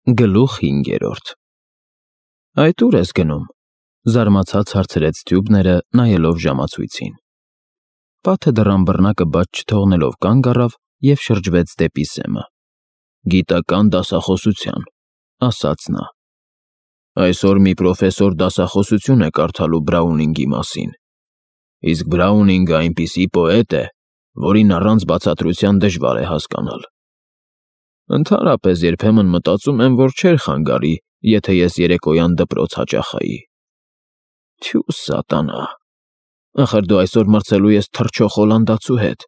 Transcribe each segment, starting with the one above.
Գլուխ 5-րդ Այդ ուր ես գնում, զարմացած հարցրեց Թյուբները, նայելով ժամացույցին։ Պատը դռան բռնակը բաց չթողնելով կանգ առավ և շրջվեց դեպի Սեմը։ Գիտական դասախոսության, ասաց նա։ Այսօր մի պրոֆեսոր դասախոսություն է կարդալու Բրաունինգի մասին։ Իսկ Բրաունինգը այնպիսի պոետ է, որին առանց բացատրության դժվար է հասկանալ։ Ընդհանրապես երբեմն մտածում եմ, որ չէր խանգարի, եթե ես երեկոյան դպրոց հաճախայի։ Թյու սատանա, ախր դու այսօր մրցելու ես թռչող հոլանդացու հետ։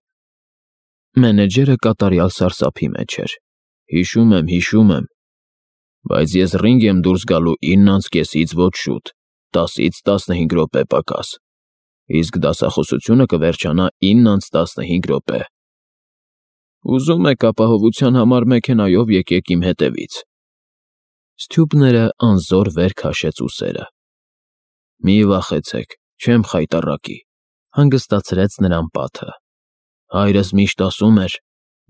Մենեջերը կատարյալ սարսափի մեջ էր։ Հիշում եմ, բայց ես ռինգ եմ դուրս գալու 9:30-ից ոչ շուտ, 10-ից 15 րոպե պակաս, իսկ դասախոսությունը կվերջանա 9:15 րոպե։ Ուզում եք ապահովության համար մեքենայով եկեք իմ հետևից։ Ստյուբները անզոր վեր քաշեց ուսերը։ Մի վախեցեք, չեմ խայտառակի, հանգստացրեց նրան Պատը։ Հայրս միշտ ասում էր,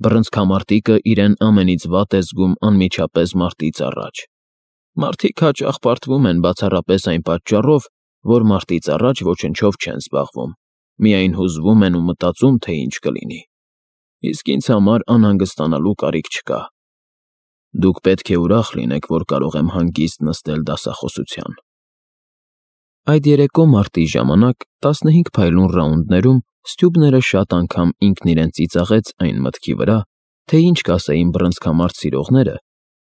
բռնցքամարտիկը իրեն ամենից վատ է զգում անմիջապես մարտից առաջ։ Մարդիկ հաճախ պարտվում են բացառապես այն պատճառով, որ մարտից առաջ ոչնչով չեն զբաղվում, միայն հուզվում են ու մտածում, թե ինչ կլինի։ Իսկ ինձ համար անհանգստանալու կարիք չկա։ Դուք պետք է ուրախ լինեք, որ կարող եմ հանգիստ նստել դասախոսության։ Այդ երեկո մարտի ժամանակ 15 փայլուն ռաունդներում Ստյուբները շատ անգամ ինքն իրեն ծիծաղեց այն մտքի վրա, թե ինչ կասեին բռնցքամարտ սիրողները,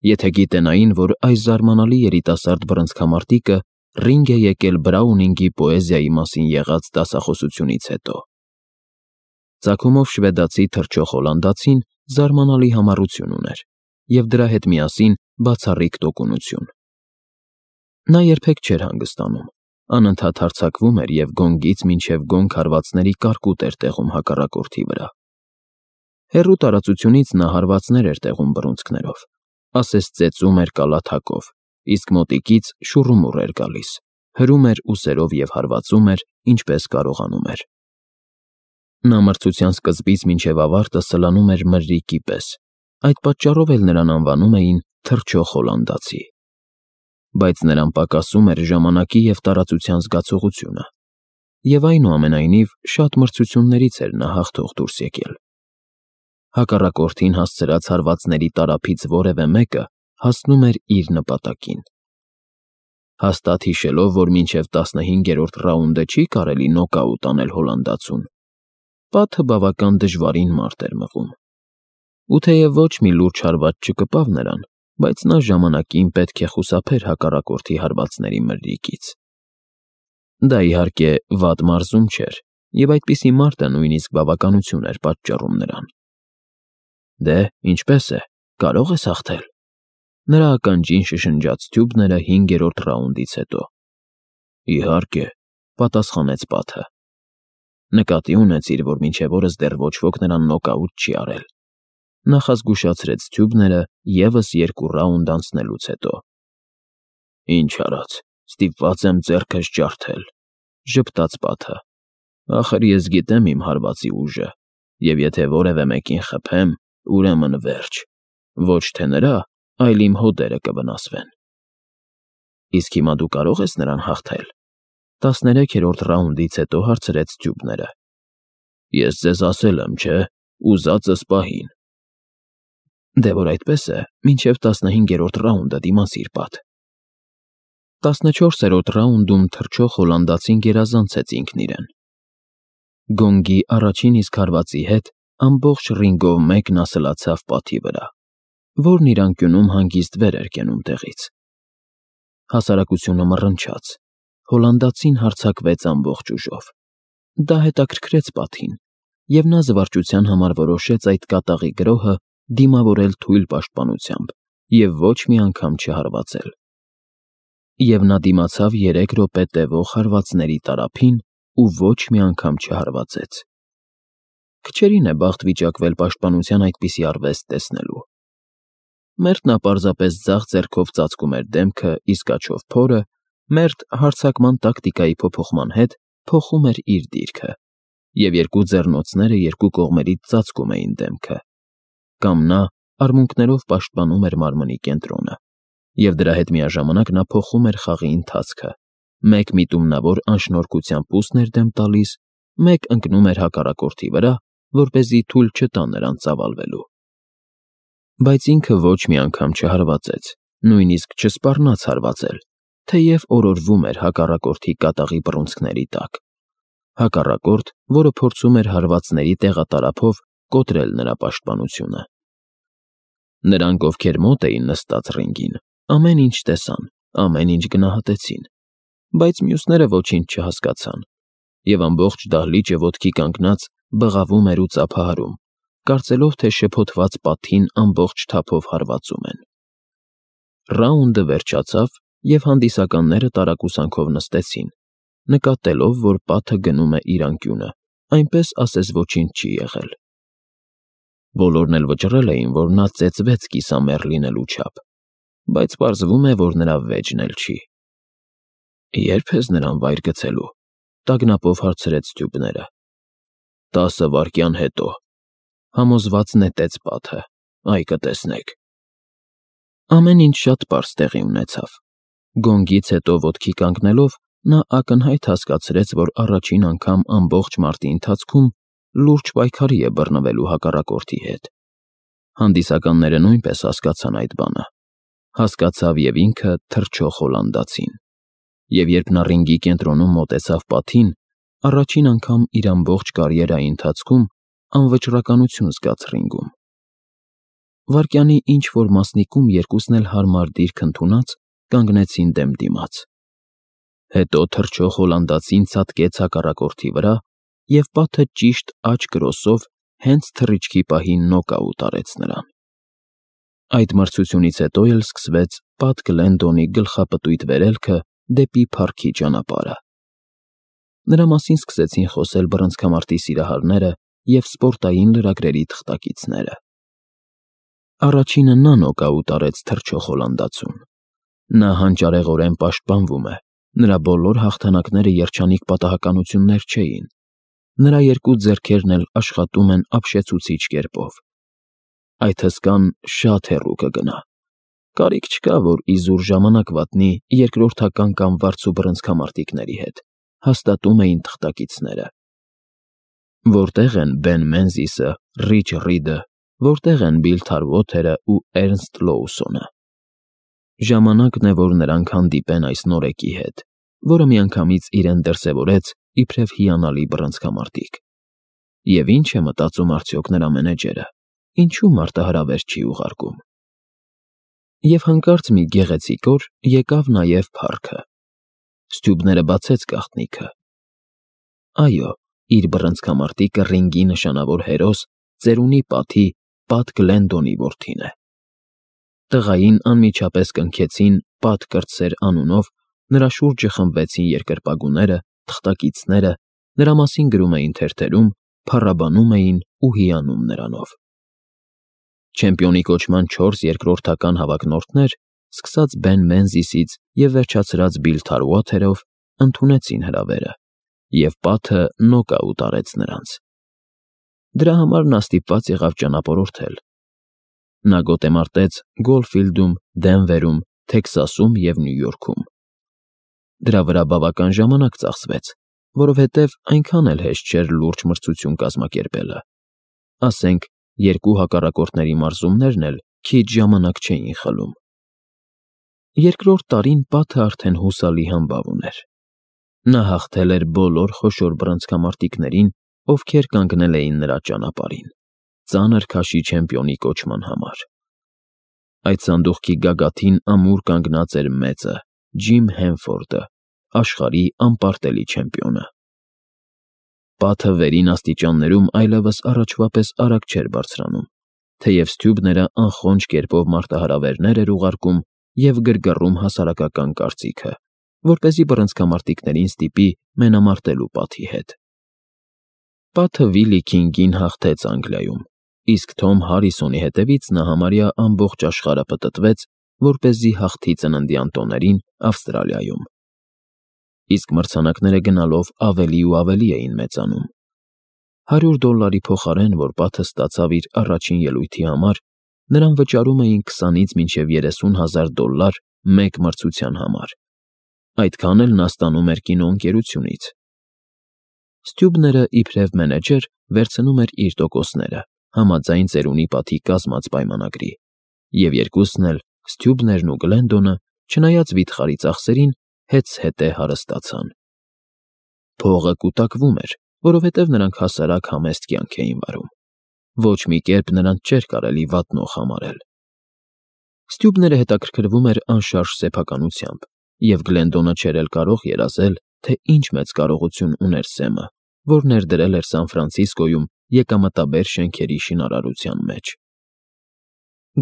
եթե գիտենային, որ այս զարմանալի երիտասարդ բռնցքամարտիկը ռինգ է եկել Բրաունինգի պոեզիայի մասին եղած դասախոսությունից հետո։ Ծագումով շվեդացի թռչող հոլանդացին զարմանալի համառություն ուներ, և դրա հետ միասին բացառիկ տոկունություն։ Նա երբեք չէր հանգստանում, անընդհատ հարձակվում էր և գոնգից մինչև գոնգ հարվածների կարկուտ էր տեղում հակառակորդի վրա։ Հեռու տարածությունից նա հարվածներ էր տեղում բռունցքներով, ասես ծեծում էր կալաթակով, իսկ մոտիկից շուռումուռ էր գալիս, հրում էր ուսերով և հարվածում էր, ինչպես կարողանում էր։ Նա մրցության սկզբից մինչև ավարտը սլանում էր մրրիկի պես, այդ պատճառով էլ նրան անվանում էին թռչող հոլանդացի։ Բայց նրան պակասում էր ժամանակի և տարածության զգացողությունը, և այնուամենայնիվ շատ մրցություններից էր նա հաղթող դուրս եկել։ Հակառակորդին հասցրած հարվածների տարափից որևէ մեկը հասնում էր իր նպատակին։ Հաստատ հիշելով, որ մինչև 15-րդ ռաունդը չի կարելի նոկաուտ անել հոլանդացուն, Պատը բավական դժվարին մարտ էր մղում։ Ու թեև ոչ մի լուրջ հարված չկպավ նրան, բայց նա ժամանակին պետք է խուսափեր հակառակորդի հարվածների մրրիկից։ Դա իհարկե վատ մարզում չէր, և այդպիսի մարտը նույնիսկ բավականություն էր պատճառում նրան։ Դե, ինչպե՞ս է, կարո՞ղ ես հաղթել։ Նրա ականջին շշնջաց Թյուբները 5-րդ ռաունդից հետո։ Իհարկե, պատասխանեց Պատը։ Նկատի ունեցիր, որ մինչև օրս դեռ ոչ ոք նրան նոկաուտ չի արել։ Նախազգուշացրեց Թյուբները ևս 2 ռաունդ անցնելուց հետո։ Ինչ արած, ստիպված եմ ձեռքս ջարդել, ժպտաց Պատը։ Ախր ես գիտեմ իմ հարվածի ուժը, և եթե որևէ մեկին խփեմ, ուրեմն վերջ, ոչ թե նրա, այլ իմ հոդերը կվնասվեն։ Իսկ հիմա դու կարո՞ղ ես նրան հաղթել։ 13-րդ ռաունդից հետո հարցրեց Թյուբները։ Ես ձեզ ասել եմ, չէ, ուզածս պահին։ Դե որ այդպես է, մինչև 15-րդ ռաունդը դիմացիր, Պատ։ 14-րդ ռաունդում թռչող հոլանդացին գերազանցեց ինքն իրեն։ Գոնգի առաջին իսկ հարվածի հետ ամբողջ ռինգով մեկ նա սլացավ Պատի վրա, որն իր անկյունում հանգիստ վեր էր կենում տեղից։ Հասարակությունը մռնչաց, հոլանդացին հարձակվեց ամբողջ ուժով։ Դա հետաքրքրեց Պատին, և նա զվարճության համար որոշեց այդ կատաղի գրոհը դիմավորել թույլ պաշտպանությամբ և ոչ մի անգամ չհարվածել։ Եվ նա դիմացավ 3 րոպե տևող հարվածների տարափին ու ոչ մի անգամ չհարվածեց։ Քչերին է բախտ վիճակվել պաշտպանության այդպիսի արվեստ տեսնելու։ Մերթ նա պարզապես ձախ ձեռքով ծածկում էր դեմքը, իսկ աջով փորը, մերթ հարձակման տակտիկայի փոփոխման հետ փոխում էր իր դիրքը, և 2 ձեռնոցները 2 կողմերից ծածկում էին դեմքը, կամ նա արմունկներով պաշտպանում էր մարմնի կենտրոնը, Եվ դրա հետ միաժամանակ նա փոխում էր խաղի ընթացքը. մեկ միտումնավոր անշնորհքության պուս ներդեմ տալիս, մեկ ընկնում էր հակառակորդի վրա, որպեսզի թույլ չտա նրան ծավալվելու։ Բայց ինքը ոչ մի անգամ չհարվածեց, նույնիսկ չսպառնաց հարվածել, թեև օրորվում էր հակառակորդի կատաղի բռունցքների տակ։ Հակառակորդ, որը փորձում էր հարվածների տեղատարափով կոտրել նրա պաշտպանությունը։ Նրանք, ովքեր մոտ էին նստած ռինգին, ամեն ինչ տեսան, ամեն ինչ գնահատեցին, բայց մյուսները ոչինչ չհասկացան, և ամբողջ դահլիճը ոտքի կանգնած բղավում էր ու ծափահարում, կարծելով, թե շփոթված պատին ամբողջ թափով հարվածում են։ Ռաունդը վերջացավ, և հանդիսականները տարակուսանքով նստեցին, նկատելով, որ պատը գնում է իր անկյունը, այնպես ասես ոչինչ չի եղել։ Բոլորն էլ վճռել էին, որ նա ծեծվեց կիսամեռ լինելու չափ, բայց պարզվում է, որ նրա վեճն էլ չի։ Ե՞րբ ես նրան վայր գցելու, տագնապով հարցրեց Ստյուբները։ 10 վայրկյան հետո, համոզված նետեց պատը, այ կտեսնեք։ Ամեն ինչ շատ պարզ տեղի ունեցավ։ Գոնգից հետո ոտքի կանգնելով, նա ակնհայտ հասկացրեց, որ առաջին անգամ ամբողջ մարտի ընթացքում լուրջ պայքարի է բռնվելու հակառակորդի հետ։ Հանդիսականները նույնպես հասկացան այդ բանը։ Հասկացավ և ինքը թռչող հոլանդացին։ Եվ երբ նա ռինգի կենտրոնում մոտեցավ պատին, առաջին անգամ իր ամբողջ կարիերայի ընթացքում անվճռականություն զգաց ռինգում։ Վայրկյանի ինչ-որ մասնիկում երկուսն էլ հարմար դիրք ընդունած կանգնեցին դեմ դիմաց։ Հետո թռչող հոլանդացին ցատկեց հակառակորդի վրա և պատը ճիշտ աջ կրոսով հենց թռիչքի պահին նոկաուտ արեց նրան։ Այդ մրցությունից հետո էլ սկսվեց Պատ Գլենդոնի գլխապտույտ վերելքը դեպի փառքի ճանապարհը։ Նրա մասին սկսեցին խոսել բռնցքամարտի սիրահարները և սպորտային լրագրերի թղթակիցները։ Առաջինը նա նոկաուտ արեց թռչող հոլանդացուն։ Նա հանճարեղորեն պաշտպանվում է, նրա բոլոր հաղթանակները երջանիկ պատահականություններ չէին։ Նրա երկու ձեռքերն էլ աշխատում են ապշեցուցիչ կերպով։ Այդ հսկան շատ հեռու կգնա։ Կարիք չկա, որ իզուր ժամանակ վատնի երկրորդական կամ վարձու բռնցքամարտիկների հետ, հաստատում էին թղթակիցները։ Որտեղ են Բեն Մենզիսը, Ռիչ Ռիդը, որտեղ են Բիլ Թարվոթերը ու Էրնստ Լոուսոնը։ Ժամանակն է, որ նրանք հանդիպեն այս նորեկի հետ, որը միանգամից իրեն դրսևորեց իբրև հիանալի բռնցքամարտիկ։ Եվ ինչ է մտածում արդյոք նրա մենեջերը, ինչու մարտահրավեր չի ուղարկում։ Եվ հանկարծ մի գեղեցիկ օր եկավ նաև փառքը։ Ստյուբները բացեց գաղտնիքը։ Այո, իր բռնցքամարտիկը ռինգի նշանավոր հերոս, ծերունի Պատի, Պատ Գլենդոնի որդին է։ Տղային անմիջապես կնքեցին Պատ կրտսեր անունով, նրա շուրջը խմբվեցին երկրպագուները, թղթակիցները, նրա մասին գրում էին թերթերում, փառաբանում էին ու հիանում նրանով։ Չեմպիոնի կոչման 4 երկրորդական հավակնորդներ, սկսած Բեն Մենզիսից և վերջացրած Բիլ Թարվոթերով, ընդունեցին հրավերը, և Պաթը նոկաուտ արեց նրանց։ Դրա համար նա ստիպված եղավ ճանապարհորդել։ Նա գոտեմարտեց Գոլֆիլդում, Դենվերում, Թեքսասում և Նյու Յորքում։ Դրա վրա բավական ժամանակ ծախսվեց, որովհետև այնքան էլ հեշտ չէր լուրջ մրցություն կազմակերպելը։ Ասենք, երկու հակառակորդների մարզումներն էլ քիչ ժամանակ չէին խլում։ Երկրորդ տարին Պաթը արդեն հուսալի համբավ ուներ։ Նա հաղթել էր բոլոր խոշոր բռնցքամարտիկներին, ովքեր կանգնել էին նրա ճանապարհին, ծանր քաշի չեմպիոնի կոչման համար։ Այդ սանդուղքի գագաթին ամուր կանգնած էր մեծը, Ջիմ Հենֆորդը, աշխարհի անպարտելի չեմպիոնը։ Պաթը վերին աստիճաններում այլևս առաջվա պես արագ չէր բարձրանում, թեև Ստյուբները անխոնջ կերպով մարտահրավերներ էր ուղարկում և գրգռում հասարակական կարծիքը, որպեսզի բռնցքամարտիկներին ստիպի մենամարտելու Պաթի հետ։ Պաթը Վիլի Քինգին հաղթեց Անգլիայում, իսկ Թոմ Հարիսոնի հետևից նա համարյա ամբողջ աշխարհը պտտվեց, որպեսզի հաղթի ծննդյան տոներին Ավստրալիայում։ Իսկ մրցանակները գնալով ավելի ու ավելի էին մեծանում։ $100 փոխարեն, որ Պաթը ստացավ իր առաջին ելույթի համար, նրան վճարում էին 20-ից մինչև $30,000 մեկ մրցության համար։ Այդքան էլ նա ստանում էր կինոընկերությունից։ Ստյուբները, իբրև մենեջեր, վերցնում էր իր տոկոսները, համաձայն ծերունի պատի կազմած պայմանագրի, և երկուսն էլ, Ստյուբներն ու Գլենդոնը, չնայած վիթխարի ծախսերին, հետզհետե հարստացան։ Փողը կուտակվում էր, որովհետև նրանք հասարակ համեստ կյանք էին վարում։ Ոչ մի կերպ նրանց չէր կարելի վատնող համարել։ Ստյուբները հետաքրքրվում էր անշարժ սեփականությամբ, և Գլենդոնը չէր էլ կարող երազել, թե ինչ մեծ կարողություն ուներ Սեմը, որ ներդրել էր Սան Ֆրանցիսկոյում եկամտաբեր շենքերի շինարարության մեջ։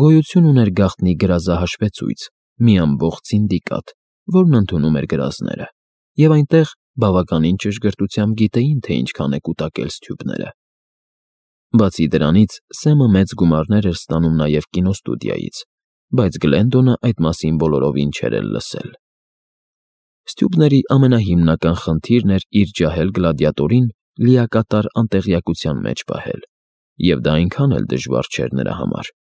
Գոյություն ուներ գաղտնի գրազահաշվեցույց, մի ամբողջ սինդիկատ, որն ընդունում էր գրազները, և այնտեղ բավականին ճշգրտությամբ գիտեին, թե ինչքան է կուտակել Ստյուբները։ Բացի դրանից, Սեմը մեծ գումարներ էր ստանում նաև կինոստուդիայից, բայց Գլենդոնը այդ մասին բոլորովին չէր էլ լսել։ Ստյուբների ամենահիմնական խնդիրն էր իր ջահել գլադիատորին լիակատար անտեղյակության մեջ պահել, և դա այնքան էլ դժվար չէր նրա համար։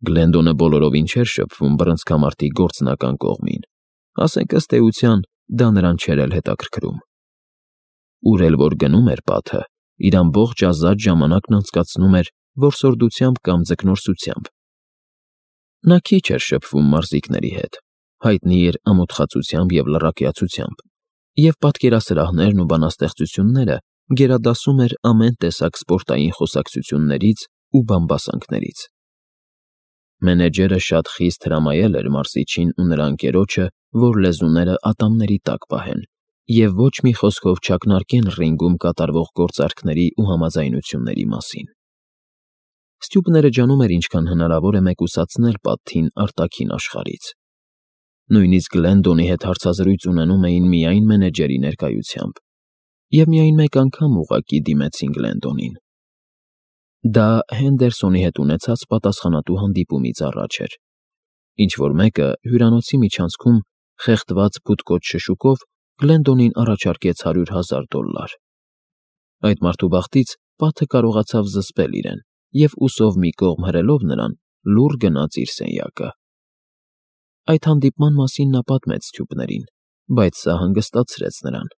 Գլենդոնը բոլորովին չէր շփվում բռնցքամարտի գործնական կողմին, ասենք ըստ էության, դա նրան չէր էլ հետաքրքրում։ Ուր էլ որ գնում էր պատը, իր ամբողջ ազատ ժամանակն անցկացնում էր որսորդությամբ կամ ձկնորսությամբ։ Նա քիչ էր շփվում մարզիկների հետ, հայտնի էր ամոթխածությամբ և լռակյացությամբ, և պատկերասրահներն ու բանաստեղծությունները գերադասում էր ամեն տեսակ սպորտային խոսակցություններից ու բամբասանքներից։ Մենեջերը շատ խիստ հրամայել էր մարզիչին ու նրա ընկերոջը, որ լեզուները ատամների տակ պահեն և ոչ մի խոսքով չակնարկեն ռինգում կատարվող գործարքների ու համաձայնությունների մասին։ Ստյուբները ջանում էր ինչքան հնարավոր է մեկուսացնել պատթին արտաքին աշխարհից։ Նույնիսկ Գլենդոնի հետ հարցազրույց ունենում էին միայն մենեջերի ներկայությամբ, և միայն մեկ անգամ ուղղակի դիմեցին Գլենդոնին։ Դա Հենդերսոնի հետ ունեցած պատասխանատու հանդիպումից առաջ էր, ինչ-որ մեկը հյուրանոցի միջանցքում խեղդված փութկոց շշուկով Գլենդոնին առաջարկեց $100,000։ Այդ մարդու բախտից պատը կարողացավ զսպել իրեն և ուսով մի կողմ հրելով նրան, լուռ գնաց իր սենյակը։ Այդ հանդիպման մասին նա պատմեց Ստյուբներին, բայց սա հանգստացրեց նրան։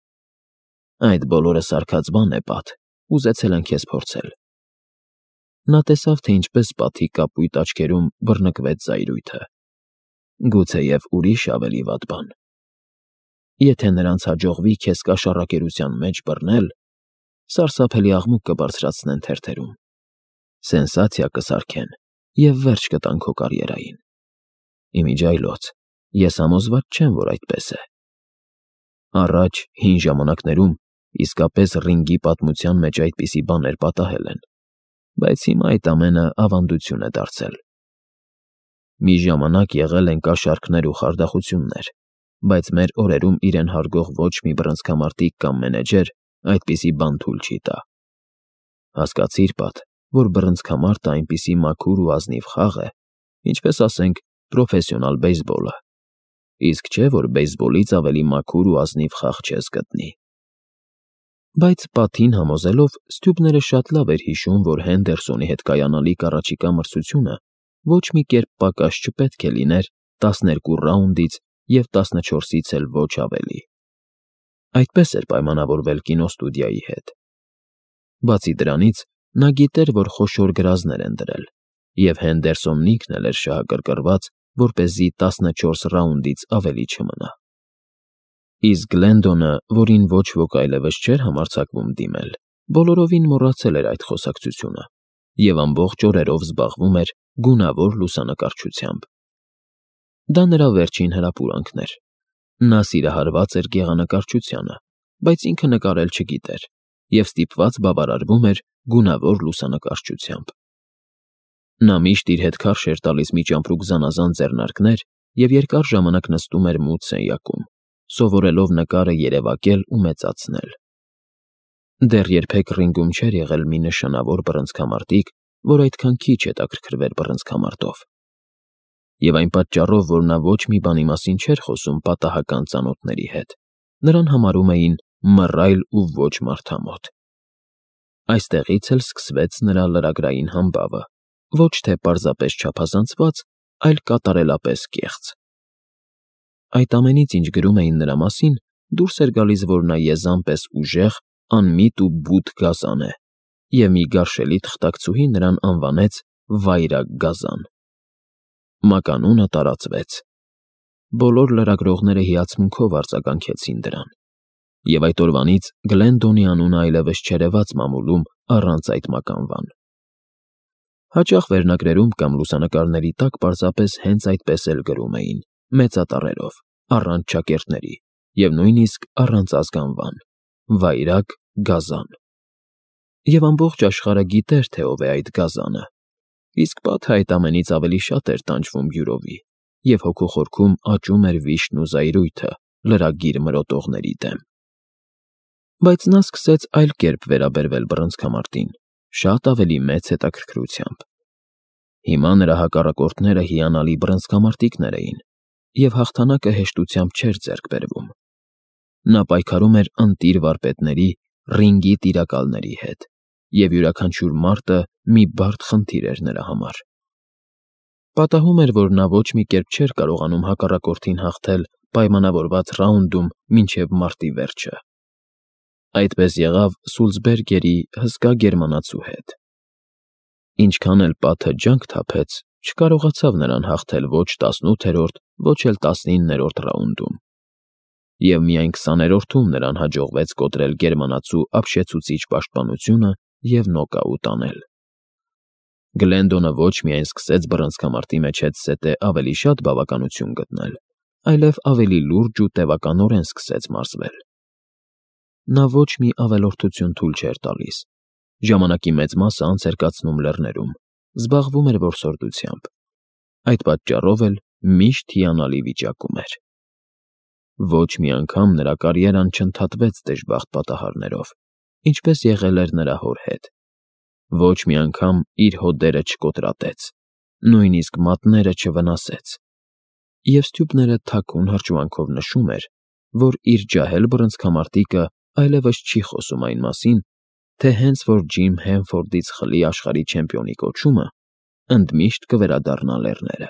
Այդ բոլորը սարքած բան է, Պատ, ուզեցել են քեզ փորձել։ Նա տեսավ, թե ինչպես պատի կապույտ աչքերում բռնկվեց զայրույթը։ Գուցեև ուրիշ ավելի վատ բան։ Եթե նրանց հաջողվի քեզ կաշառակերության մեջ բռնել, սարսափելի աղմուկ կբարձրացնեն թերթերում, սենսացիա կսարքեն և վերջ կտան քո կարիերային։ Իմիջիայլոց, ես համոզված չեմ, որ այդպես է։ Առաջ, հին ժամանակներում, իսկապես ռինգի պատմության մեջ այդպիսի բաներ պատահել են, բայց հիմա այդ ամենը ավանդություն է դարձել։ Մի ժամանակ եղել են կաշառքներ ու խարդախություններ, բայց մեր օրերում իրեն հարգող ոչ մի բռնցքամարտիկ կամ մենեջեր այդպիսի բան թույլ չի տա։ Հասկացիր, Պատ, որ բռնցքամարտը այնպիսի մաքուր ու ազնիվ խաղ է, ինչպես ասենք պրոֆեսիոնալ բեյսբոլը, իսկ չէ, որ բեյսբոլից ավելի մաքուր ու ազնիվ խաղ չես գտնի։ Բայց պատին համոզելով, Ստյուբները շատ լավ էր հիշում, որ Հենդերսոնի հետ կայանալիք առաջիկա մրցությունը ոչ մի կերպ պակաս չպետք է լիներ 12 ռաունդից և 14-ից էլ ոչ ավելի։ Այդպես էր պայմանավորվել կինոստուդիայի հետ։ Բացի դրանից, նա գիտեր, որ խոշոր գրազներ են դրել, և Հենդերսոնն ինքն էլ էր շահագրգռված, որպեսզի 14 ռաունդից ավելի չմնա։ Իսկ Գլենդոնը, որին ոչ ոք այլևս չէր համարձակվում դիմել, բոլորովին մոռացել էր այդ խոսակցությունը և ամբողջ օրերով զբաղվում էր գունավոր լուսանկարչությամբ։ Դա նրա վերջին հրապուրանքն էր։ Նա սիրահարված էր գեղանկարչությանը, բայց ինքը նկարել չգիտեր և ստիպված բավարարվում էր գունավոր լուսանկարչությամբ։ Նա միշտ իր հետ քարշ էր տալիս մի ճամպրուկ զանազան ձեռնարկներ և երկար ժամանակ նստում էր մութ սենյակում, սովորելով նկարը երևակել ու մեծացնել։ Դեռ երբեք ռինգում չէր եղել մի նշանավոր բռնցքամարտիկ, որ այդքան քիչ հետաքրքրվեր բռնցքամարտով։ Եվ այն պատճառով, որ նա ոչ մի բանի մասին չէր խոսում պատահական ծանոթների հետ, նրան համարում էին մռայլ ու ոչ մարդամոտ։ Այստեղից էլ սկսվեց նրա լրագրային համբավը, ոչ թե պարզապես չափազանցված, այլ կատարելապես կեղծ։ Այդ ամենից, ինչ գրում էին նրա մասին, դուրս էր գալիս, որ նա եզան պես ուժեղ, անմիտ ու բութ գազան է, և մի գարշելի թղթակցուհի նրան անվանեց Վայրագ Գազան։ Մականունը տարածվեց։ Բոլոր լրագրողները հիացմունքով արձագանքեցին դրան, և այդ օրվանից Գլենդոնի անունը այլևս չերևաց մամուլում առանց այդ մականվան։ Հաճախ վերնագրերում կամ լուսանկարների տակ պարզապես հենց այդպես էլ գրում էին, մեծատառերով, առանց ճակերտների և նույնիսկ առանց ազգանվան. Վայրագ Գազան։ Եվ ամբողջ աշխարհը գիտեր, թե ով է այդ գազանը, իսկ պատը այդ ամենից ավելի շատ էր տանջվում բյուրովի, և հոգու խորքում աճում էր վիշտն ու զայրույթը լրագիր մրոտողների դեմ։ Բայց նա սկսեց այլ կերպ վերաբերվել բռնցքամարտին, շատ ավելի մեծ հետաքրքրությամբ։ Հիմա նրա հակառակորդները հիանալի բռնցքամարտիկներ էին, և հաղթանակը հեշտությամբ չէր ձեռք բերվում։ Նա պայքարում էր ընտիր վարպետների, ռինգի տիրակալների հետ, և յուրաքանչյուր մարտը մի բարդ խնդիր էր նրա համար։ Պատահում էր, որ նա ոչ մի կերպ չէր կարողանում հակառակորդին հաղթել պայմանավորված ռաունդում մինչև մարտի վերջը։ Այդպես եղավ Սուլզբերգերի հսկա գերմանացու հետ։ Ինչքան էլ պատը ջանք թափեց, չկարողացավ նրան հաղթել ոչ 18-րդ, ոչ էլ 19-րդ ռաունդում։ Եվ միայն 20-րդում նրան հաջողվեց կոտրել գերմանացու ապշեցուցիչ պաշտպանությունը և նոկաուտ անել։ Գլենդոնը ոչ միայն սկսեց բռնցքամարտի մեջ հետզհետե ավելի շատ բավականություն գտնել, այլև ավելի լուրջ ու տևականորեն սկսեց մարզվել։ Նա ոչ մի ավելորդություն թույլ չէր տալիս, ժամանակի մեծ մասը անց էր կացնում լեռներում, զբաղվում էր որսորդությամբ։ Այդ պատճառով էլ միշտ հիանալի վիճակում էր։ Ոչ մի անգամ նրա կարիերան չընդհատվեց դժբախտ պատահարներով, ինչպես եղել էր նրա հոր հետ։ Ոչ մի անգամ իր հոդերը չկոտրատեց, նույնիսկ մատները չվնասեց։ Եվ Ստյուպները թաքուն հրճվանքով նշում էր, որ իր ջահել բռնցքամարտիկը այլևս չի խոսում այն մասին, թե հենց որ Ջիմ Հենֆորդից խլի աշխարհի չեմպիոնի կոչումը, ընդմիշտ կվերադառնա լեռները։